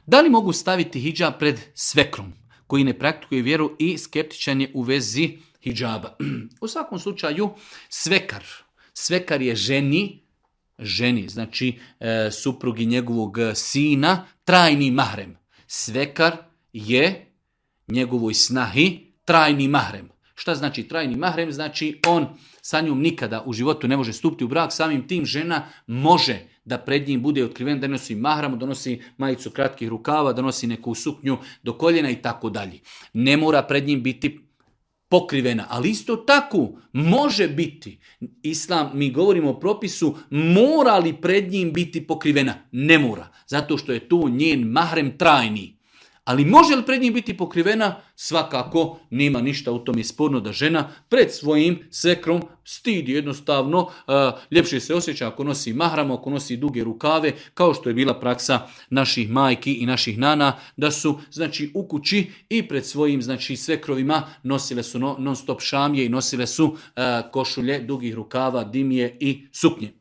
Da li mogu staviti hidžab pred svekrom koji ne praktikuje vjeru i skeptičan je u vezi hidžaba? U svakom slučaju svekar je ženi, znači suprugi njegovog sina, trajni mahrem. Svekar je njegovoj snahi trajni mahrem. Šta znači trajni mahrem? Znači on sa njom nikada u životu ne može stupiti u brak, samim tim žena može da pred njim bude otkriven, da nosi mahram, da nosi majicu kratkih rukava, da nosi neku suknju do koljena i tako dalje. Ne mora pred njim biti pokrivena, ali isto tako može biti. Islam, mi govorimo o propisu, mora li pred njim biti pokrivena? Ne mora, zato što je to njen mahrem trajni. Ali može li pred njim biti pokrivena? Svakako nema ništa u tom je sporno da žena pred svojim svekrom stidi jednostavno. Ljepše se osjeća ako nosi mahram, ako nosi duge rukave, kao što je bila praksa naših majki i naših nana, da su znači u kući i pred svojim znači svekrovima nosile su non stop šamije i nosile su košulje dugih rukava, dimije i suknje.